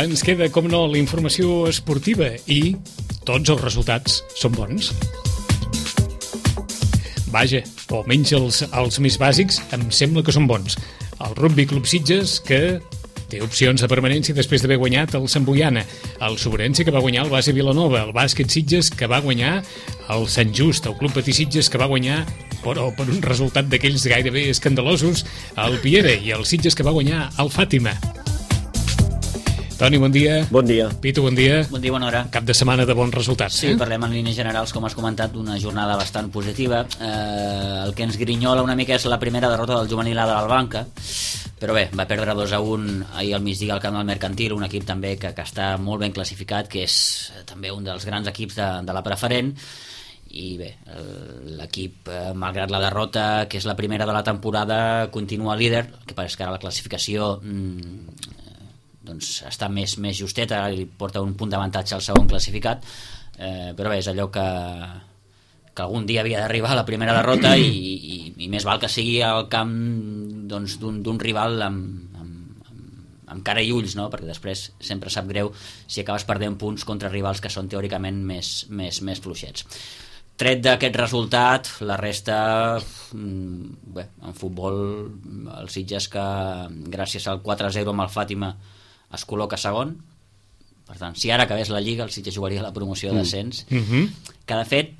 ens queda, com no, la informació esportiva i tots els resultats són bons. Vaja, o almenys els més bàsics em sembla que són bons. El Rugby Club Sitges, que té opcions de permanència després d'haver guanyat el Sant Boiana, el Sobrense, que va guanyar el Base Vilanova, el Bàsquet Sitges, que va guanyar el Sant Just, el Club Patí Sitges, que va guanyar, però per un resultat d'aquells gairebé escandalosos, el Piera, i el Sitges, que va guanyar el Fàtima. Toni, bon dia. Bon dia. Pitu, bon dia. Bon dia, bona hora. Cap de setmana de bons resultats. Sí, parlem en línies generals, com has comentat, d'una jornada bastant positiva. El que ens grinyola una mica és la primera derrota del juvenil A de l'Albanca, però bé, va perdre 2-1 ahir al migdia al camp del Mercantil, un equip també que està molt ben classificat, que és també un dels grans equips de la preferent, i bé, l'equip, malgrat la derrota, que és la primera de la temporada, continua líder, el que passa és que ara la classificació doncs està més justeta, li porta un punt d'avantatge al segon classificat, però bé, és allò que algun dia havia d'arribar a la primera derrota i més val que sigui al camp doncs, d'un rival amb cara i ulls, no? Perquè després sempre sap greu si acabes perdent punts contra rivals que són teòricament més fluixets. Tret d'aquest resultat, la resta, bé, en futbol, el Sitges, que gràcies al 4-0 amb el Fàtima es col·loca segon. Per tant, si ara acabés la Lliga, el Sitges jugaria la promoció d'ascens, que de fet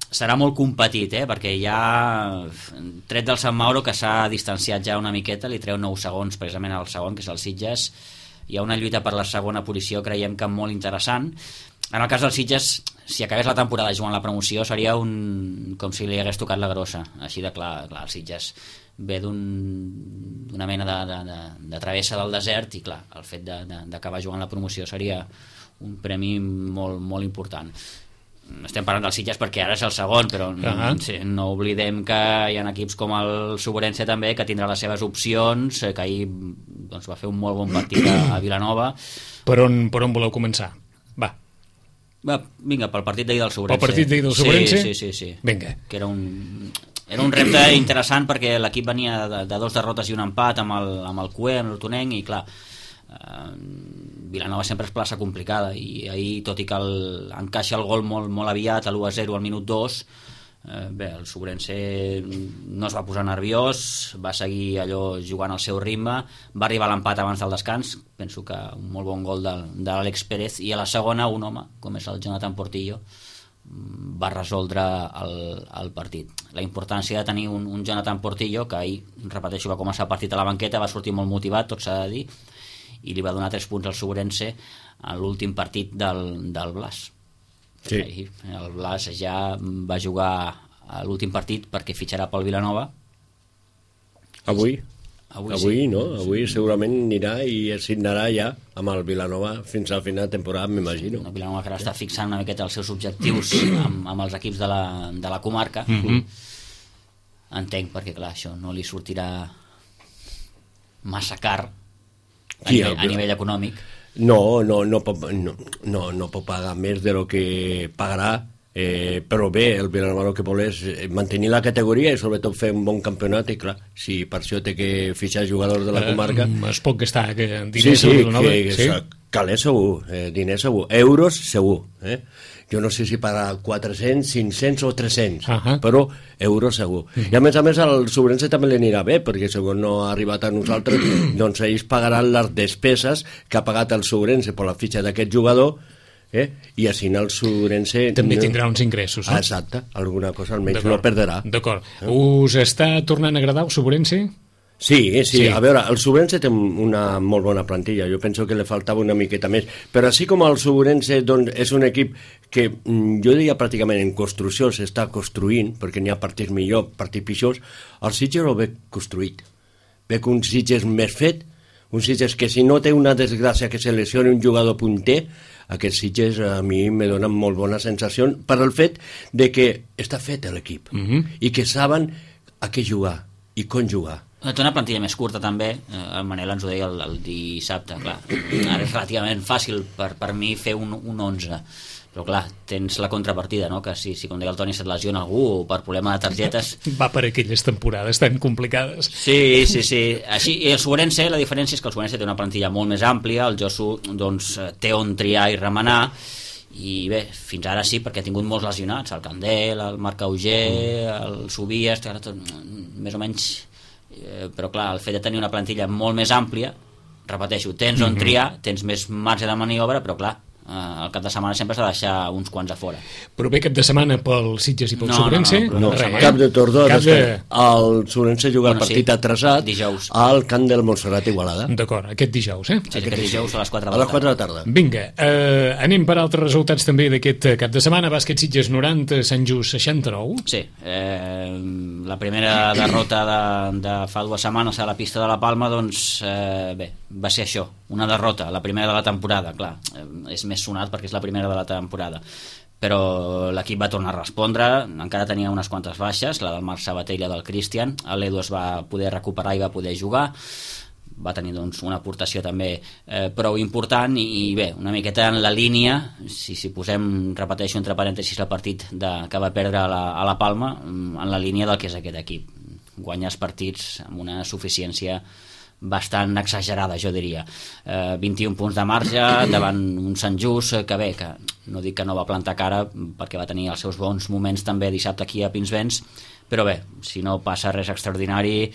serà molt competit, perquè hi ha, tret del Sant Mauro, que s'ha distanciat ja una miqueta, li treu 9 segons precisament al segon, que és el Sitges. Hi ha una lluita per la segona posició, creiem que molt interessant. En el cas del Sitges, si acabés la temporada jugant la promoció, seria com si li hagués tocat la grossa, així de clar. El Sitges ve d'una mena de travessa del desert i clar, el fet d'acabar jugant la promoció seria un premi molt, molt important. Estem parlant del Sitges perquè ara és el segon, però no oblidem que hi ha equips com el Sobrense també, que tindrà les seves opcions, que ahir doncs, va fer un molt bon partit a Vilanova. Per on voleu començar? Va, vinga, pel partit d'ahir del Sobrense. Pel partit d'ahir del Sobrense? Sí. Vinga. Que era un repte interessant perquè l'equip venia de 2 derrotes i un empat amb el CUE, amb l'Hortonenc, i clar, Vilanova sempre és plaça complicada, i ahir, tot i que encaixa el gol molt aviat, a l'1-0 al minut 2, bé, el Sobrense no es va posar nerviós, va seguir allò jugant al seu ritme, va arribar a l'empat abans del descans, penso que un molt bon gol de l'Àlex Pérez, i a la segona un home, com és el Jonathan Portillo, va resoldre el partit. La importància de tenir un Jonathan Portillo, que ahir, repeteixo, va començar el partit a la banqueta, va sortir molt motivat, tot s'ha de dir, i li va donar 3 punts al Sobrense en l'últim partit del Blas. Sí. El Blas ja va jugar a l'últim partit perquè fitxarà pel Vilanova. Avui sí. No? Avui segurament anirà i es signarà ja amb el Vilanova fins al final de temporada, m'imagino. El Vilanova que ara està fixant una miqueta els seus objectius amb els equips de la comarca. Entenc, perquè clar, això no li sortirà massa car a nivell econòmic. No pot pagar més de lo que pagarà, però bé, el Vilanova el que vol és mantenir la categoria i sobretot fer un bon campionat, i clar, si per això té que fitxar jugadors de la comarca es pot gastar diners a Vilanova. Calés segur, diners segur, euros segur, jo no sé si pagarà 400, 500 o 300, però euros segur. I a més al Sobrense també li anirà bé, perquè segons no ha arribat a nosaltres, doncs ells pagaran les despeses que ha pagat el Sobrense per la fitxa d'aquest jugador, i així el Sobrense també tindrà uns ingressos, no? Exacte, alguna cosa almenys no perdrà. D'acord. Us està tornant a agradar el Sobrense? Sí. A veure, el Sobrense té una molt bona plantilla, jo penso que li faltava una miqueta més, però així com el Sobrense doncs, és un equip que jo diria pràcticament en construcció s'està construint, perquè n'hi ha partits millor, partits pitjors, el Sitges ho ve construït, ve que un Sitges més fet, un Sitges que si no té una desgràcia que se lesioni un jugador punter, aquest Sitges a mi me dona molt bona sensació per el fet de que està fet l'equip i que saben a què jugar i com jugar. Té una plantilla més curta també, el Manel ens ho deia el dissabte, clar, ara és relativament fàcil per mi fer un 11, però clar, tens la contrapartida, no? Que si com deia el Toni, se't lesiona algú o per problema de targetes... Va per aquelles temporades tan complicades. Sí. Així, i el Suberense, la diferència és que el Suberense té una plantilla molt més àmplia, el Josu doncs, té on triar i remenar, i bé, fins ara sí, perquè ha tingut molts lesionats, el Candel, el Marc Auger, el Subies, més o menys, però clar, el fet de tenir una plantilla molt més àmplia, repeteixo, tens on triar, tens més marge de maniobra, però clar, el cap de setmana sempre s'ha de deixar uns quants a fora. Però bé, cap de setmana pel Sitges i pel Sobrense? No, cap de Tordó. El Sobrense juga el partit atrasat dijous al camp del Montserrat Igualada. D'acord, aquest dijous, Sí, aquest dijous a les 4 de la tarda. A les 4 de la tarda. Vinga, anem per altres resultats també d'aquest cap de setmana. Bàsquet Sitges 90, Sant Just 69. Sí, la primera derrota de fa 2 setmanes a la pista de la Palma, doncs bé, va ser això, una derrota, la primera de la temporada, clar, és més sonat perquè és la primera de la temporada, però l'equip va tornar a respondre, encara tenia unes quantes baixes, la del Marc Sabater i la del Cristian, l'Edu es va poder recuperar i va poder jugar, va tenir doncs, una aportació també prou important i bé, una miqueta en la línia, si posem, repeteixo entre parèntesis el partit que va perdre a la Palma, en la línia del que és aquest equip, guanyar els partits amb una suficiència bastant exagerada, jo diria. 21 punts de marge davant un Sant Just que bé, que no dic que no va plantar cara perquè va tenir els seus bons moments també dissabte aquí a Pinsbens, però bé, si no passa res extraordinari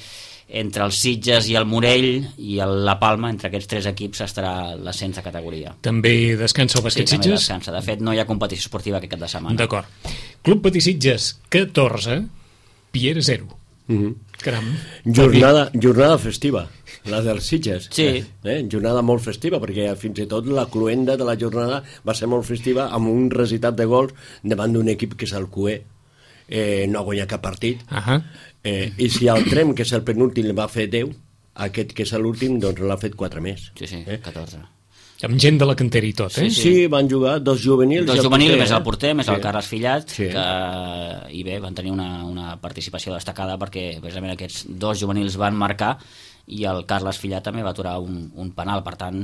entre els Sitges i el Morell i la Palma, entre aquests 3 equips estarà l'ascens de categoria. També descansa el bàsquet Sitges? Sí, també descansa. De fet, no hi ha competició esportiva aquest cap de setmana. D'acord. Club Patí Sitges 14, Piera 0. Caram. Jornada festiva, la dels Sitges. Sí. Jornada molt festiva, perquè fins i tot la cluenda de la jornada va ser molt festiva amb un recitat de gols davant d'un equip que és el Cué. No ha guanyat cap partit. I si el Trem, que és el penúltim, va fer 10, aquest que és l'últim, doncs l'ha fet 4 més. Sí, 14. Amb gent de la cantera i tot, Sí, van jugar 2 juvenils. 2 juvenils, més el porter, més el Carles Fillat, sí. I bé, van tenir una participació destacada perquè precisament aquests 2 juvenils van marcar i el Carles Fillat també va aturar un penal, per tant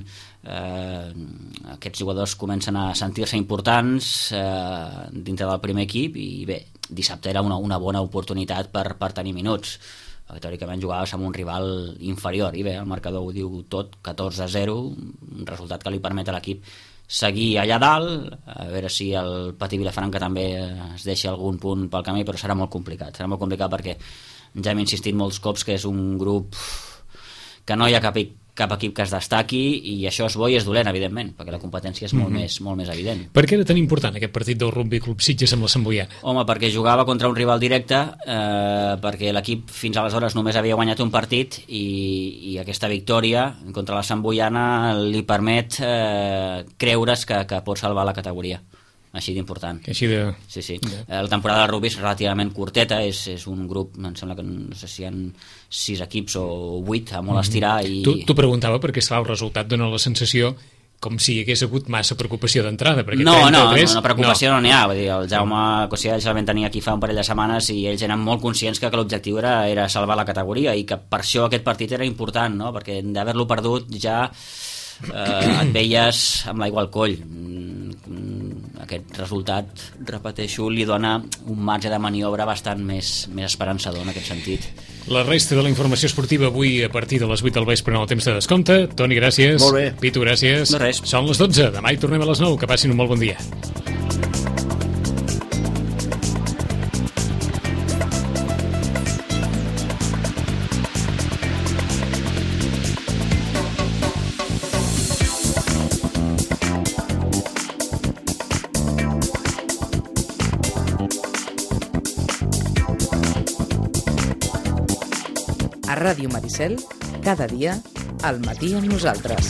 aquests jugadors comencen a sentir-se importants dintre del primer equip i bé, dissabte era una bona oportunitat per tenir minuts. Teòricament jugaves amb un rival inferior i bé, el marcador ho diu tot, 14-0, un resultat que li permet a l'equip seguir allà dalt, a veure si el Patí Vilafranca també es deixa algun punt pel camí, però serà molt complicat perquè ja hem insistit molts cops que és un grup que no hi ha cap equip que es destaqui i això és bo i és dolent, evidentment, perquè la competència és molt més evident. Per què era tan important aquest partit del Rugby Club Sitges amb la Santboiana? Home, perquè jugava contra un rival directe, perquè l'equip fins aleshores només havia guanyat un partit i aquesta victòria contra la Santboiana li permet creure's que pot salvar la categoria. Així d'important. Així de... Sí. La temporada del rugby és relativament curteta, és un grup, em sembla que no sé si hi ha 6 equips o 8 a molt estirar i... T'ho preguntava perquè el resultat dona la sensació com si hi hagués hagut massa preocupació d'entrada. No, preocupació no n'hi ha. Vull dir, el Jaume Cossià ja el vam tenir aquí fa un parell de setmanes i ells eren molt conscients que l'objectiu era salvar la categoria i que per això aquest partit era important, no? Perquè d'haver-lo perdut ja et veies amb l'aigua al coll. Aquest resultat, repeteixo, li dona un marge de maniobra bastant més esperançador en aquest sentit. La resta de la informació esportiva avui a partir de les 8 del vespre en el temps de descompte. Toni, gràcies. Molt bé. Pitu, gràcies. De res. Són les 12. Demà hi tornem a les 9. Que passin un molt bon dia. A Ràdio Maricel, cada dia, al matí amb nosaltres.